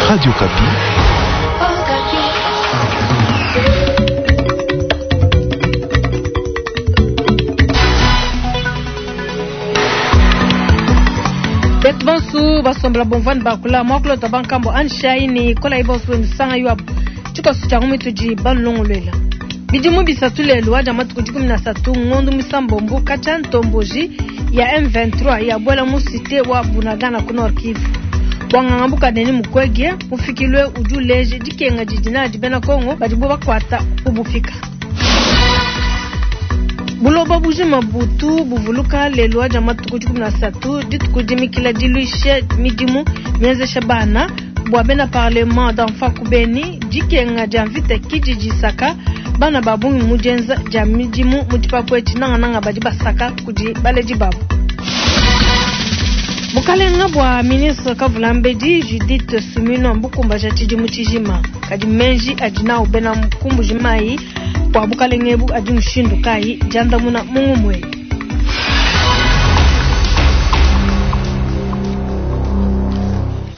Radio Okapi. Betu bonsu basombola bomvua ne bakula muakulu wa bankambo anshayi ne kolayi bonso benu sanga yuabu tshikoso tshia ngumi tudi banulongoluela. Bidimu bisatu lelu wa dia matuku 13 ngondo misambombo katshia ntomboji ya M23 yabuela mu cité wa Bunagana ku Nord Kivu. Bua nganga buka Denis Mukwege mufikilwe udi uleja dikenga didi nadi bena Kongo badibu bakuata ku bupika. Buloba bujima butu buvuluka lelu wa dia matuku 13 dituku dimikila diluisha midimu mienzesha bana bua bena parlement d'enfants ku Beni. Dikenga dia mvita kidi disaka bana ba bungi mu dienza dia midimu mu tshipapu etshi, nangananga badi basaka kudi baledi babu. Bukalenga bua ministre Kavulambedi Judith Suminwa mbukumbaja tshidimu tshijima, kadi meji adi nawu bena ku Mbuji-Mayi bua bukalenga ebu adi mushindu kayi? Diandamuna mu ngumue.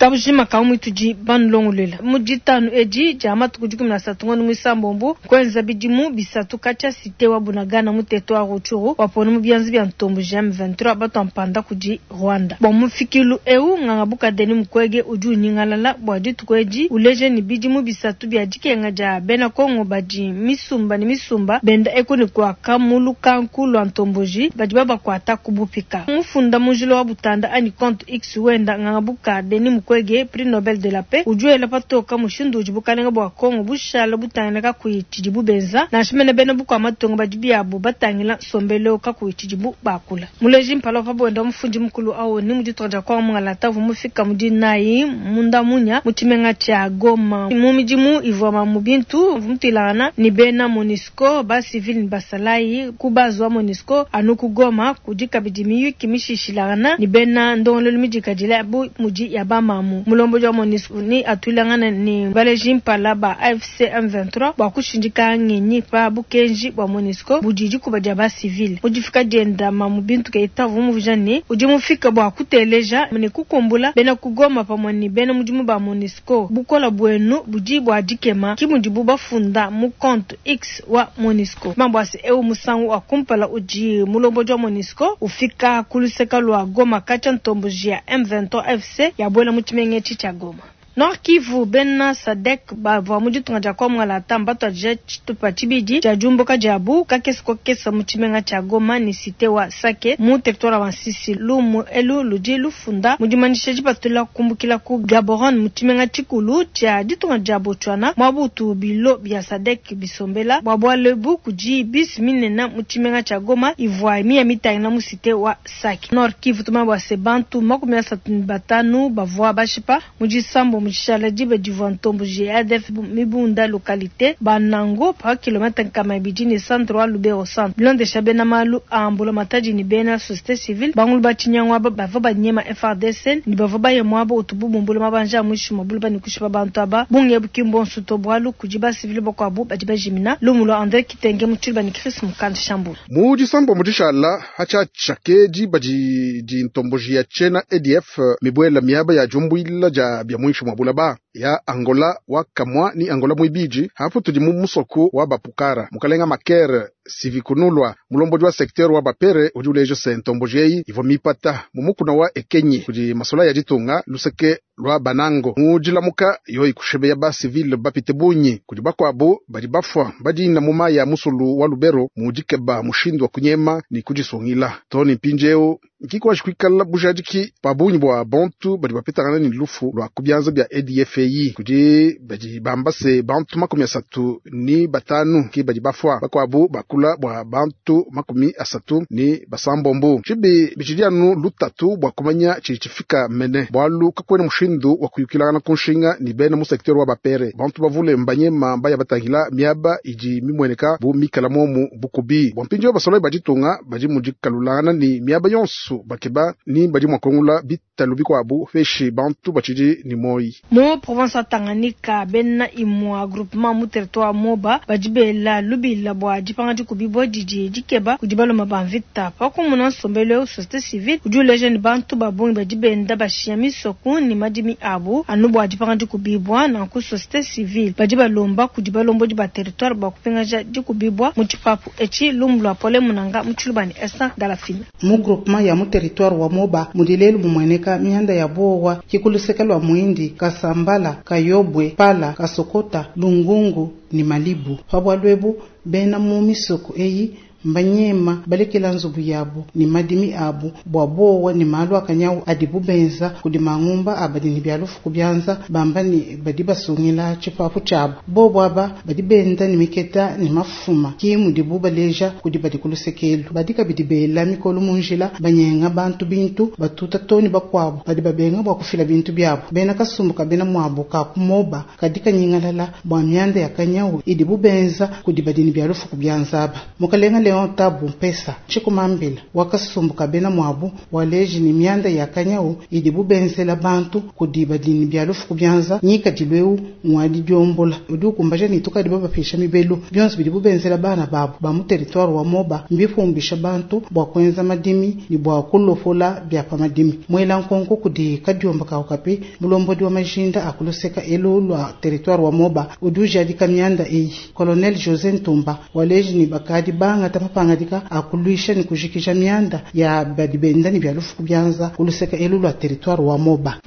Kabujima ka muitudi banulongoluela mu ditanu edi dia matuku 13 ngondo muisambombo kuenza bidimu bisatu katshia cité wa Bunagana mu territoire Rutshuru wapona mu bianza bia ntombo M23 batua mpanda kudi Rwanda. Bua mufikilu eu nganga buka Denis Mukwege udi unyingalala bua dituku edi uleje ni bidimu bisatu bia dikenga dia bena Kongo badi misumba ne misumba benda eku ne kuaka mu lukanku lua ntomboji badi babakuata ku bupika. Mufunda mu njila wa Butanda anyi compte X wenda nganga buka Denis Mukwege prix Nobel de la paix udi wela patoka mushindu udi bukalenga bua Kongo bushala butangila kakuyi tshidibu benza nansha mene bena bukua matunga badi biabu batangila nsombelu kakuyi tshidibu bakula. Muleji mpala wa pa mufundi mukulu awo ni mu ditunga dia Kongo mungalata uvua mufika mu dinayi munda munya mu tshimenga tshia Goma mu midimu ivua mu bintu uvua mutuilangana ni bena MONUSCO ba civil ni basalayi ku base wa MONUSCO anu ku Goma kudi kabidi miyuki mishishilangana ni bena ndongoluelu midikadile bu mudi ya bamamu. Mulombodi wa MONUSCO ni atuilangana ni baleji mpala ba AFC M23 bua kushindika ngenyi pa bukenji bua MONUSCO budi dikuba dia ba civil. Mudifika dienda mamu bintu keita uvua muvija ne udi mufika bua kuteleja ne kukumbula bena ku Goma pamue ne bena mudimu ba MONUSCO. Bukola buenu budi bua dikema ki mudibu bafunda mu compte X wa MONUSCO. Mambo ase eu musangu wa kumpala udi mulombodi wa MONUSCO ufika ku luseka lua Goma katshia ntomboji ya M23 FC yabuela mu tshimenga etshi tshia Goma. Nord Kivu bena SADC bavua mu ditunga dia Kongo lata batuadija tshitupa tshibidi tshia diumbuka diabu kakese kokesa mu tshimenga tshia Goma ne cité wa Sake mu territoire wa Masisi. Lumu elu ludi lufunda mu dimanyisha dipatula kumbukila ku Gaborone mu tshimenga tshikulu tshia ditunga dia Botswana muabutu bilo bia SADC bisombela bua bualu ebu kudi bisi minene mu tshimenga tshia Goma ivua miya mitangila mu cité wa Sake. Nord Kivu tuma bua se bantu 35 bavua bashipa mu disambo mu tshishala diba divua ntomboji ADF mibunda localité Banango pa kilomètre nkama ibidi ne centre wa Lubero centre. Bilondesha bena malu a mbula matadi ni bena société civile bangulu ba tshinyangu aba bavua banyema FARDC ni bavua baye muabo utubu bumbula mabanja a mwishi mwa bula ni kushipa bantu aba bunge buki mbonso to bualu kudi ba civile bakuabu badi bajimina. Lumu lwa André Kitenge mu tshiluba ni Chris Mukanda Shambula. Mu disambo mu dishala hatshiatsha ke diba di di ntomboji ya tshena ADF mibuela miaba ya diumbuila dia bia muinshi mwa bulaba ya Angola wa kamwa ni Angola mwibiji hapo tudi mu musoko wa bapukara mukalenga makere sivikunulwa mulombodi wa secteur wa bapere udi uleja se ntomboji eyi ivua mipata mu mukuna wa ekenyi kudi masola ya ditunga luseke lwa banango mu dilamuka yoyi kushebeya ba civile bapite bunyi kudi bakuabu badi bafua badina mu mayi ya musulu wa Lubero mu dikeba mushindu wa kunyema ni kudisungila toni mpindieu nkikwaji kuikala bujadiki pa bunyi bua bantu badi bapetangana ni lufu lwa ku bianza bia ADF kudi badi bamba se bantu 35 ki badi bafua bakuabu bakula bua bantu 36. Tshibi bitshidi anu lutatu bua kumanya tshidi tshifika mene bualu kakuena mushindu wa kuyukilangana ku nshinga ni bena mu secteur wa bapere bantu bavule mbanyema mbaya batangila miaba idi mimueneka bu mikala momu bukubi bua mpindieu basolayi baditunga badi mu dikalulangana ni miaba yonso bakeba ni badi mua kuangula bitalu bikuabu peshi bantu batshidi ni moyi. Mu Province wa Tanganyika, bena imua groupement mu territoire wa Moba badi bela lubila bua dipanga dikubibua didi dikeba kudi baluma ba mvita. Pa kumuna nsombelu eu, societe civile udi uleja ne bantu ba bungi badi benda bashiya misoku ne madimi abu anu bua dipanga dikubibua. Nanku societe civile badi balomba kudi balombodi ba territoire bua kupingaja dikubibua mu tshipapu etshi. Lumu lua Pole Munanga mu Tshiluba ne Esther Ndalafina. Mu groupement ya mu territoire wa Moba mudi lelu mumueneka mianda ya bowa ki ku luseke lua Muindi, Kasambala, Kayobwe, Pala, Kasokota, Lungungu ni Malibu. Pa bualu ebu bena mu misoko eyi mbanyema balekela nzubu yabu ni madimi abu bua bowa ni malu a kanyawu adibu benza kudi mangumba a badi ni bia lufu ku bianza bamba ni badi basungila tshipapu tshiabu. Bobo aba badi benda ni miketa ni mafuma ki mudibu baleja kudi badi ku lusekelu. Badi kabidi bela mikolo mu njila banyenga bantu bintu batuta too ni bakuabu badi babenga bua kufila bintu biabu. Bena kasumbu ka bena muabu ka ku Moba kadi kanyingalala bua mianda ya kanyawu idibu benza kudi badi ni bia lufu ku bianza aba. Mukalenga Leon Tabu Mpesa tshikumambila wa kasumbu ka bena muabu waleji ni mianda ya kanyawu idibu benzela bantu kudi badi ni bia lufu ku bianza ngikadilu eu ngwadi diombola udi ukumbaja ni tukadi babapesha mibelu bionso bidibu benzela bana babu ba mu territoire wa Moba mbifumbisha bantu bua kuenza madimi ni bua kulopola bia pa madimi. Mwela nkonko kudi kadiomba ka Okapi mulombodi wa majinda a kuluseka elu lua territoire wa Moba udi ujadika mianda eyi. Colonel José Ntumba waleji ni bakadi bangata mapangadika a kuluisha ni kujikija mianda ya badi benda ni bia lufu ku bianza kuluseka elu lua territoire wa Moba.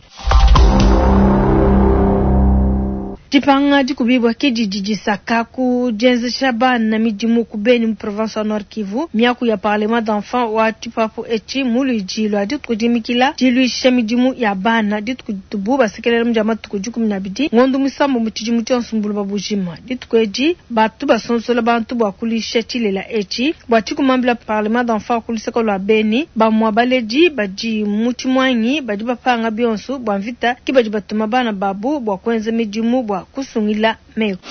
Dipanga dikubibua ke didi disaka ku dienzesha bana midimu ku Beni mu province wa Nord Kivu. Miaku ya parlement d'enfants wa tshipapu etshi mu luidi lua dituku dimikila diluisha midimu ya bana dituku ditubu basekelela mu dia matuku 12 ngondo muisambombo mu tshidimu tshionso mu buloba bujima. Dituku edi batu basonsola bantu bua kuluisha tshilela etshi. Bua tshikumambila parlement d'enfants ku luseke lua Beni, bamua baledi badi mu tshimuangi badi bapanga bionso bua mvita ke badi batuma bana babu bua kuenza midimu bua kusungila meku.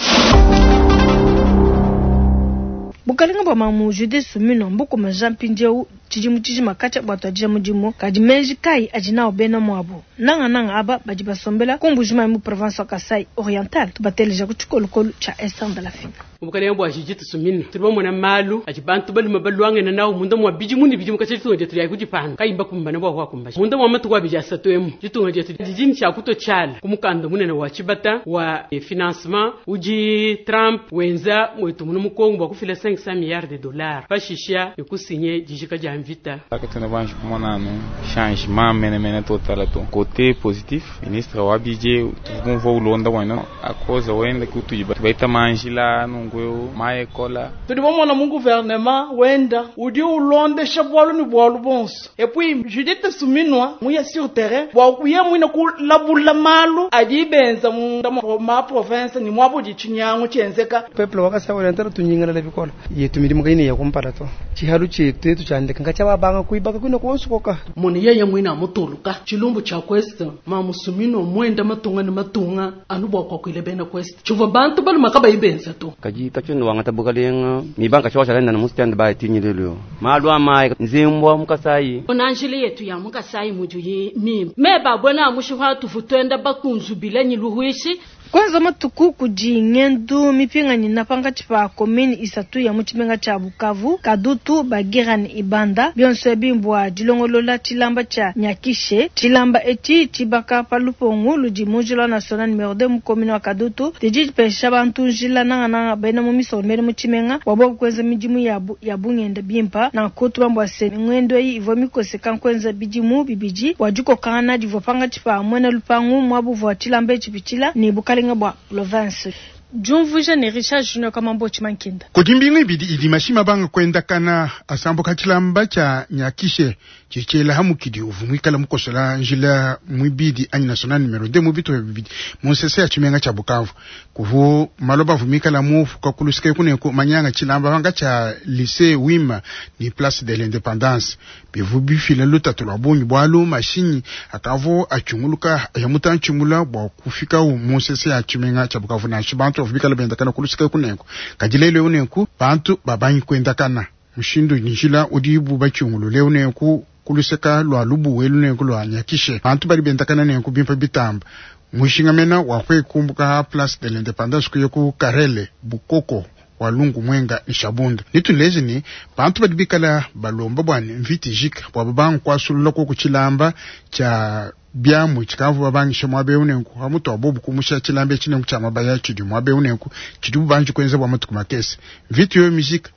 Bukalenga bua mamu Judith Suminwa mbukumbaja mpindieu tshidimu tshijima katshia buatuadija mudimu. Kadi meji kayi adi nawu bena muabu, nangananga aba badi basombela ku Mbujimayi mu province wa Kasai Oriental? Tubateleja ku tshikolokolo tshia Esther Ndalafina. Bukalenga bua Judith Suminwa tudi bamona malu adi bantu balume baluangana nawu munda mua bidimu ne bidimu katshia ditunga dietu dia kudipanda kayi bakumbana bua kuakumbaja. Munda mua matuku abidi asatu emu ditunga dietu didi ne tshia kutua tshiala ku mukanda munene wa tshibata wa financement udi Trump wenza muetu munu mu Congo bua kufila 500 milliards de dollars pashisha ne kusinye dijika dia mvita. Katuena banji kumona anu changement menemene total to. Côté positif, ministre wa budget tukumva ulonda wena akoza wenda kutudi baita manjila nungu maekola. Tudi bamona mu gouvernement wenda udi ulondesha bwalu ni bwalu bonso. Et puis Judith Suminwa muya sur terrain bwa kuya mwina kulabula malu adi benza mu ma province ni mwabo di chinyangu chenzeka. Peuple wakasa oriental tunyingana le bikola. Yetu midimu kaine ya kumpala to. Chihalu chetu yetu chandeka ngacha babanga kuibaka kwina kuonsukoka. Muni yeye mwina mutuluka chilumbu cha quest ma Suminwa mwenda matunga ni matunga anu bwa kwa kuile bena quest. Chuva bantu balu makaba ibenza to. Kaji tacho wangata bukalenga mibanka chawa chalenda na mustand ba tinyilelo. Malu amai nzimbwa mukasai. Onanjili yetu ya mukasai mujuyi mimi. Meba bwana mushuha tufutwenda bakunzubila nyiluhuishi. Kwanza matuku kudi ngendu mipingani na pangatshi pa commune isatu ya mu tshimenga tshia Bukavu, Kadutu, Bagira ne Ibanda. Bionso ebi mbua dilongolola tshilamba tshia Nyakishe. Tshilamba etshi tshibaka pa lupongo ludi mu njila national numero 2 mu commune wa Kadutu. Didi dipesha bantu njila nangananga bena mu misoko bena mu tshimenga bua bobu kuenza midimu yabu ya bungenda bimpa. Nanku tubambua se ngendo eyi ivua mikoseka nkuenza bidimu bibidi bua dikokangana divua pangatshi pa muena lupangu muabu vua tshilamba etshi pitshila ne bukalenga bua province. Diumvuija ne Richard Junior Kamambo Chimankinda. Kudi mbingu ibidi idi mashima banga kwendakana asambuka tshilamba tshia Nyakishe tshitshela hamukidi uvumwikala mukosola njila mwibidi anyi national numero 2 mu bito bibidi mu nsese ya tshimenga tshia Bukavu. Kuvu maloba vumikala mu fuka kulusike kuneko manyanga tshilamba banga tshia lycée Wima ni place de l'indépendance. Bivu bifila lutatu lwa bungi bwalu mashinyi akavo achunguluka ya mutanchimula bwa kufika mu nsese ya tshimenga tshia Bukavu na bantu bikala bendakana kulusika kuneko. Kadilele unenku bantu babanyi kwendakana mushindu njila udi bu bachungulu leo nenku kuluseka lwa lubu welu nenku lwa Nyakishe bantu bali bendakana nenku bimpa bitamba. Mushinga mena wa kwekumbuka ha Place de l'Independance kuya ku Karele Bukoko Walungu Mwenga ni Shabunda. Nituleze ni bantu badi bikala balomba bwani mviti jika bwa babangu kwasulula ko kuchilamba cha byamu chikavu babangisha mwabe unenku hamutu abobu kumusha chilambe chinenku cha mabaya chidi mwabe unenku chidi bubanji kwenza bwa matuku makese mviti yo mizika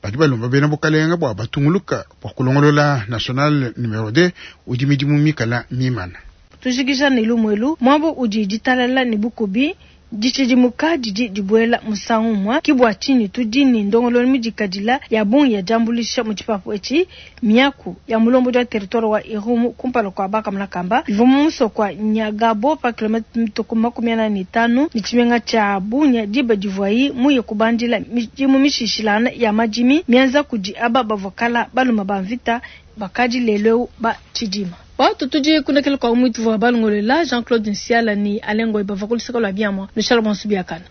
badi balomba bena bukalenga bwa batunguluka bwa kulongolola national numero 2 udi midimu mikala mimana Tujikija ne lumwelu mwabo udi ditalala ne bukubi ditshidimuka didi dibuela musangu umwe kibwa tshinyi tudi ne ndongololo midikadila ya bungi ya diambulisha mu tshipapu etshi miaku ya mulombodi wa territoire wa Irumu kumpala kua bakamulakamba ivua mu musoko wa Nyagabo pa kilomita mituku 45 ne tshimenga tshia Bunia diba divuayi muye kubandila midimu mishishilangana ya madimi mienza kudi aba bavua kala baluma ba mvita bakadi lelu eu ba tshidima. Watu tudi kunekela kwa mwitu wa balongolela Jean-Claude Nsiala ni Alain Ngoy bava kuluseka lwa biamwa Michel Bonsubiakana.